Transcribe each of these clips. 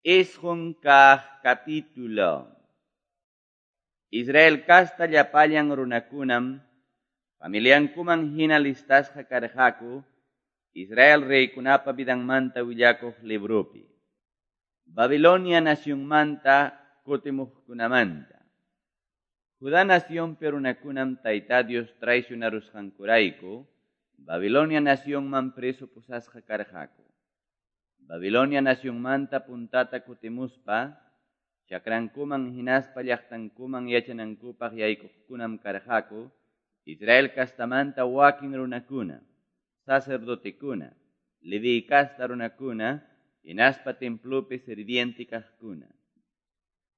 9 kaq capítulo. Israel casta llapallan runakunam familiankuman hina listasqa karqaku Israel reykunapa vidanmanta willakuq libropi. Babilonia nacionmanta kutimuqkunamanta. Judá nacionpi runakunam Tayta Dios traicionarusqankurayku Babilonia nacionman preso pusasqa karqaku. Babilonia nacionmanta puntata kutimuspa chakrankuman hinaspa llaqtankuman yachanankupaq yaykuqkunam karqaku Israel castamanta wakin runakuna, sacerdotekuna, Leví casta runakuna, hinaspa templopi sirviente kaqkuna.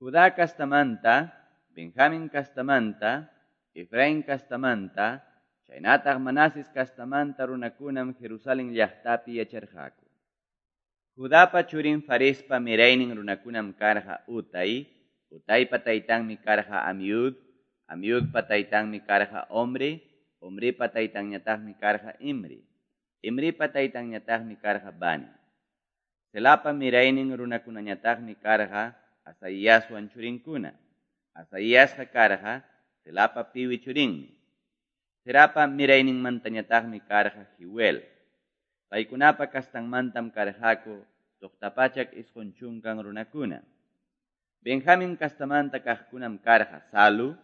Judá castamanta, Benjamín castamanta, Efraín castamanta, chaynataq Manases castamanta runakunam Jerusalén llaqtapi yacharqaku. Judapa churin Farespa miraynin runakunam karqa Utai, Utaipa taytanmi karqa Amiud, Amiudpa taytanmi karqa Omri, Omripa taytanñataqmi karqa Imri, Imripa taytanñataqmi karqa Bani. Selapa miraynin runakunañataqmi karqa Asaíaswan churinkuna. Asaíasqa karqa Selapa piwi churinmi. Zerapa mirayninmantañataqmi karqa Jeuel. Paykunapa kastanmantam karqaku 690 runakuna. Benjamín kastamanta kaqkunam karqa Salu,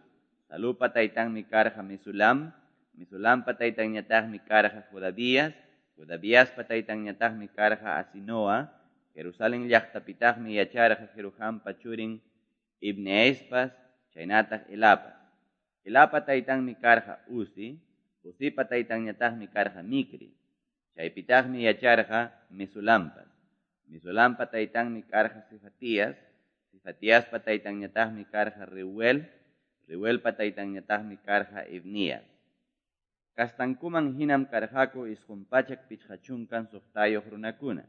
Salupa taytanmi karqa Mesulam, Mesulampa taytanñataqmi karqa Jodavías, Jodaviaspa taytanñataqmi karqa Asinoa, Jerusalén llaqtapitaqmi yacharqa Jerohampa churin Ibneespas, chaynataq Elapas. Elapa taytanmi karqa Uzi, Uzipa taytanñataqmi karqa Micri. Chaypitaqmi yacharqa Mesulampas. Mesulampa taytanmi karqa Cefatías, Cefatiaspa taytanñataqmi karqa Reuel, Reuelpa taytanñataqmi karqa Ibnías. Kastankuman hinam karqaku 956 runakuna.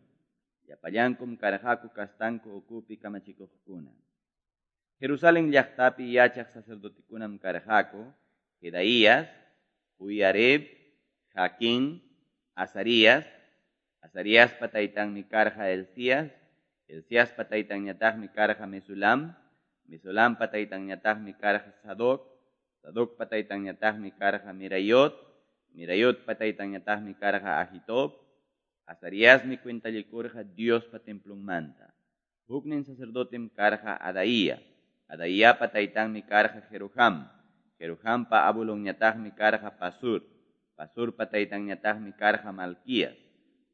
Llapallankum karqaku kastanku ukupi kamachikuqkuna. Jerusalén llaqtapi yachaq sacerdotekunam karqaku Jedaías, Joiarib, Jaquín, Azarías, Azariaspa taytanmi karqa Elías, Elíaspa taytanñataqmi karqa Mesulam, Mesulampa taytanñataqmi karqa Sadoc, Sadocpa taytanñataqmi karqa Mirayot, Mirayotpa taytanñataqmi karqa Ahitob. Azariasmi cuentallikurqa Diospa templonmanta. Huknin sacerdotem karqa Adaía, Adaíapa taytanmi karqa Jeroham, Jerohampa abuelonñataqmi karqa Pasur, Pasurpa taytanñataqmi karqa Malquías.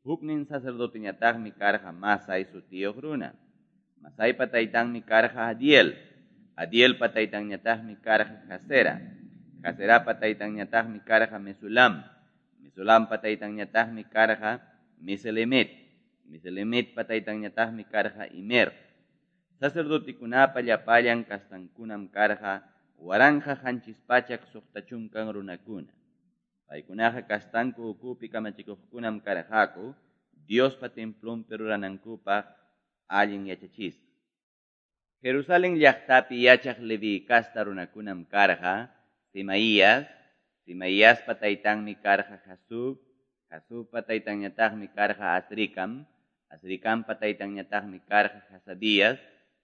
Huknin sacerdoteñataqmi karqa Masai sutiyuq runa. Masaipa taytanmi karqa Adiel, Adielpa taytanñataqmi karqa Jazera, Jazerapa taytanñataqmi karqa Mesulam, Mesulampa taytanñataqmi karqa Meselemet, Meselemetpa taytanñataqmi karqa Imer. Sacerdotekunapa llapallan kastankunam karqa 1760 runakuna. Paykunaqa kastanku ukupi kamachikuqkunam karqaku Diospa templonpi ruranankupaq allin yachachisqa. Jerusalén llaqtapi yachaq Leví casta runakunam karqa Semaías, Semaiaspa taytanmi karqa Jasub, Jasubpa taytanñataqmi karqa Azricam, Azricampa taytanñataqmi karqa Hasabías,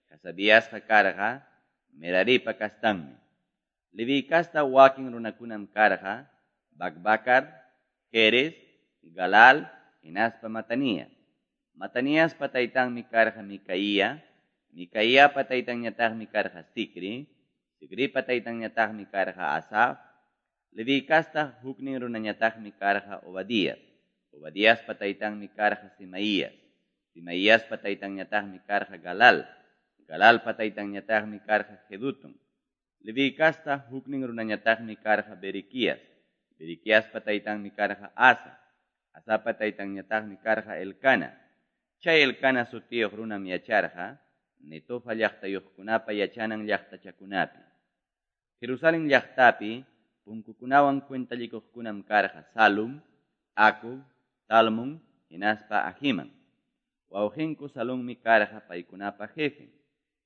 Hasabiasqa karqa Meraripa kastanmi. Leví casta wakin runakunam karqa Bakbakar, Jeres, Galal, hinaspa Matanías. Mataníaspa taytanmi karqa Micaía, Micaíapa taytanñataqmi karqa Zicri, Zicripa taytanñataqmi karqa Asaf. Leví casta huknin runañataqmi karqa Obadías, Obadiaspa taytanmi karqa Semaías, Semaíaspa taytanñataqmi karqa Galal, Galalpa taytanñataqmi karqa Jedutun. Leví casta huknin runañataqmi karqa Berequías, Berequiaspa taytanmi karqa Asa, Asapa taytanñataqmi karqa Elcana. Chay Elcana sutiyuq runam yacharqa Netofa llaqtayuqkunapa yachanan llaqtachakunapi. Jerusalén llaqtapi punkukunawan cuentallikuqkunam karqa Salum, Acub, Talmon, hinaspa Ahiman. Wawqinku Salummi karqa paykunapa jefen.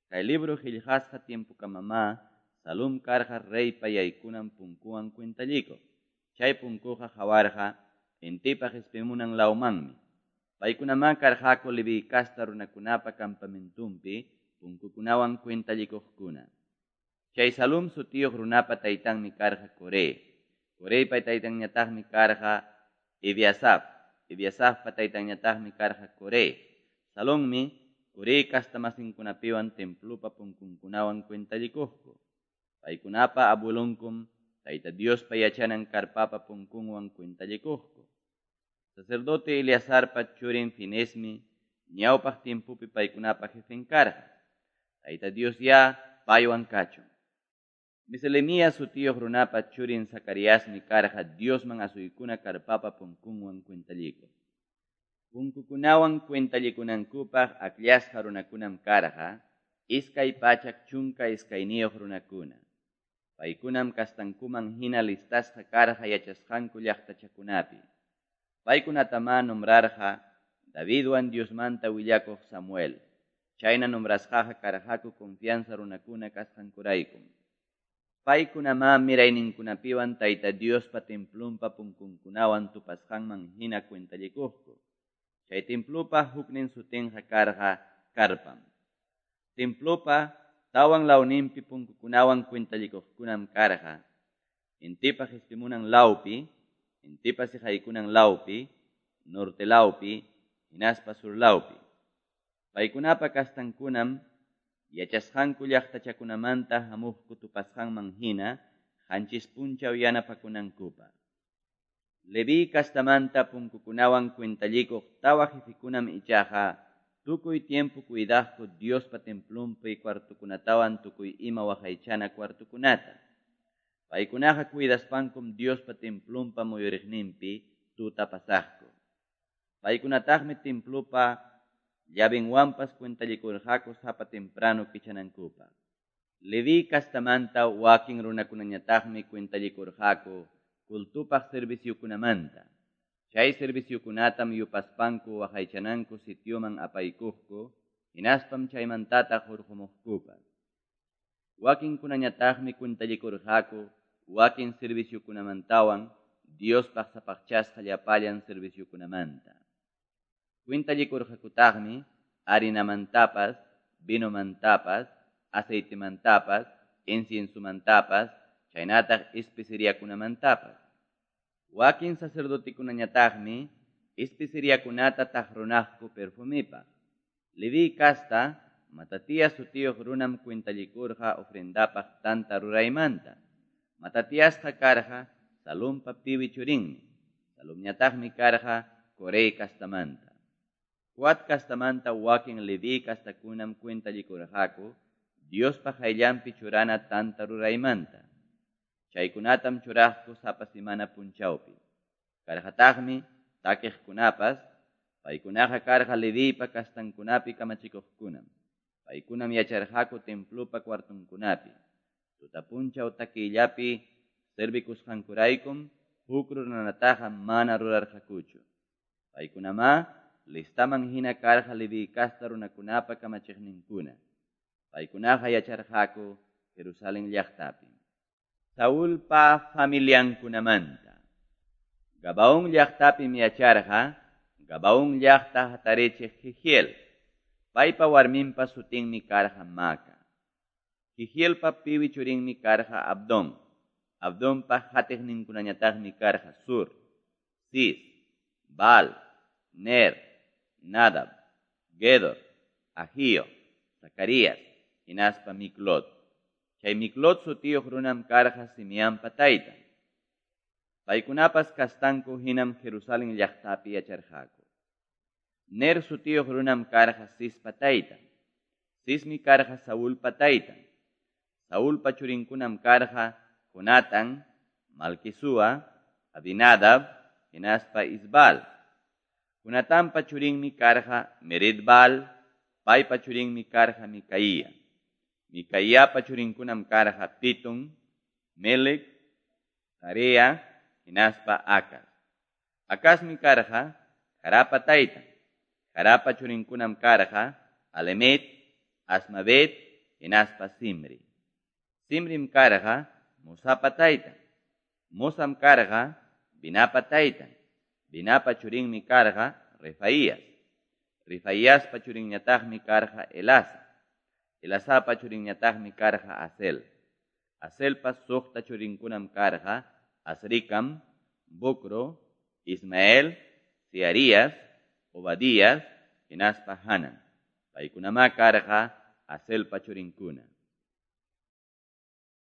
Kay libro qillqasqa tiempokamamá Salum karqa reypa yaykunan punkuwan cuentallikuq. Chay punkuqa qawarqa intipa qispimunan lawmanmi. Paykunamá karqaku Leviy casta runakunapa campamentonpi punkukunawan cuentallikuqkuna. Chay Salum sutiyuq runapa taytanmi karqa Coré. Coreypa taytanñataqmi karqa Ebiasaf. Ebiasafpa taytanñataqmi karqa Coré. Salummi Coré castamasinkunapiwan templopa punkunkunawan cuentallikuqku. Paykunapa abuelonkum Tayta Diospa yachanan carpapa punkunwan cuentallikuqku. Sacerdote Eleazarpa churin Finesmi ñawpaq tiempopi paykunapa jefen karqa. Tayta Dios ya paywan kachun. Meselemías sutiyuq runapa churin Zacariasmi karqa Diosman asuykuna carpapa punkunwan cuentallikuq. Punkukunawan cuentallikunankupaq akllasqa runakunam karqa 212 runakuna. Paykunam kastankuman hina listasqa karqa yachasqanku llaqtachakunapi. Paykunatamá nombrarqa Davidwan Diosmanta willakuq Samuel. Chayna nombrasqaqa karqaku confianza runakuna kasqankuraykum. Paykunamá mirayninkunapiwan Tayta Diospa templonpa punkunkunawan tupasqanman hina cuentallikuqku. Chay templopa huknin sutinqa karqa carpam. Templopa tawan lawninpi punkukunawan cuentallikuqkunam karqa intipa qispimunan lawpi, intipa siqaykunan lawpi, norte lawpi, hinaspa sur lawpi. Paykunapa kastankunam yachasqanku llaqtachakunamanta hamuqku tupasqanman hina 7 punchaw yanapakunankupaq. Leví kastamanta punkukunawan cuentallikuq tawa jefikunam ichaqa tukuy tiempo cuidaqku Diospa templonpi cuartokunatawan tukuy ima waqaychana cuartokunata. Paykunaqa cuidaspankum Diospa templonpa muyuriqninpi tuta pasaqku. Paykunataqmi templopa llavinwanpas cuentallikurqaku sapa temprano kichanankupaq. Leví kastamanta wakin runakunañataqmi cuentallikurqaku cultupaq serviciokunamanta. Chay serviciokunatam yupaspanku waqaychananku sitioman apaykuqku, hinaspam chaymantataq hurqumuqkupas. Wakinkunañataqmi cuentallikurqaku wakin serviciokunamantawan Diospaq sapaqchasqa llapallan serviciokunamanta. Cuentallikurqakutaqmi harinamantapas, vinomantapas, aceitemantapas, inciensomantapas, chaynataq especeriakunamantapas. Wakin sacerdotekunañataqmi especeriakunata taqrunaqku perfumipaq. Leví casta Matatías sutiyuq runam cuentallikurqa ofrendapaq tanta ruraymanta. Matatiasqa karqa Salumpa piwi churinmi. Salumñataqmi karqa Coré castamanta. Coat castamanta wakin Leví castakunam cuentallikurqaku Diospa qayllanpi churana tanta ruraymanta. Chaykunatam churaqku sapa semana punchawpi. Karqataqmi takiqkunapas, paykunaqa karqa Leviypa kastankunapi kamachikuqkunam. Paykunam yacharqaku templopa cuartonkunapi. Tuta punchaw takiyllapi servikusqankuraykum huk ruranataqa mana rurarqakuchu. Paykunamá listaman hina karqa Leví kasta runakunapa kamachiqninkuna. Paykunaqa yacharqaku Jerusalén llaqtapi. Saulpa familiankunamanta. Gabaón llaqtapim yacharqa, Gabaón llaqta hatarichiq Jehiel. Paypa warminpa sutinmi karqa Maca. Jehielpa piwi churinmi karqa Abdón. Abdonpa hatiqninkunañataqmi karqa Sur, Cis, Baal, Ner, Nadab, Gedor, Ahío, Zacarías, hinaspa Miclot. Chay Miclot sutiyuq runam karqa Simeampa taytan. Paykunapas kastanku hinam Jerusalén llaqtapi yacharqaku. Ner sutiyuq runam karqa Cispa taytan. Cismi karqa Saulpa taytan. Saulpa churinkunam karqa Jonatán, Malquisúa, Abinadab, hinaspa Isbal. Jonatanpa churinmi karqa Meridbal, paypa churinmi karqa Micaía. Micaíapa churinkunam karqa Pitón, Melec, Tarea, hinaspa Acaz. Acazmi karqa Jarapa taytan. Jarapa churinkunam karqa Alemet, Asmavet, hinaspa Simri. Simrim karqa Mosapa taytan. Mosam karqa Binapa taytan. Binapa churinmi karqa Refaías. Refaiaspa churinñataqmi karqa Elasa. Elasapa churinñataqmi karqa Azel. Azelpa suqta churinkunam karqa Azricam, Bocro, Ismael, Searías, Obadías hinaspa Hanan. Paykunamá karqa Azelpa churinkuna.